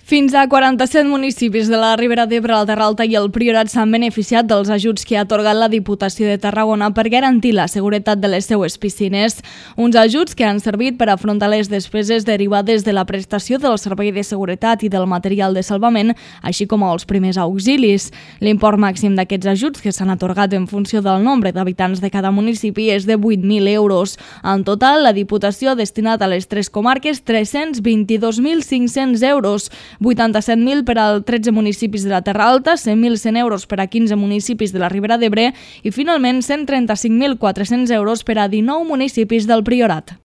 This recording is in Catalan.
Fins a 47 municipis de la Ribera d'Ebre, la Terra Alta i el Priorat s'han beneficiat dels ajuts que ha atorgat la Diputació de Tarragona per garantir la seguretat de les seues piscines. Uns ajuts que han servit per afrontar les despeses derivades de la prestació del servei de seguretat i del material de salvament, així com els primers auxilis. L'import màxim d'aquests ajuts, que s'han atorgat en funció del nombre d'habitants de cada municipi, és de 8.000 euros. En total, la Diputació ha destinat a les tres comarques 322.500 euros, 87.000 per als 13 municipis de la Terra Alta, 100.100 euros per a 15 municipis de la Ribera d'Ebre i finalment 135.400 euros per a 19 municipis del Priorat.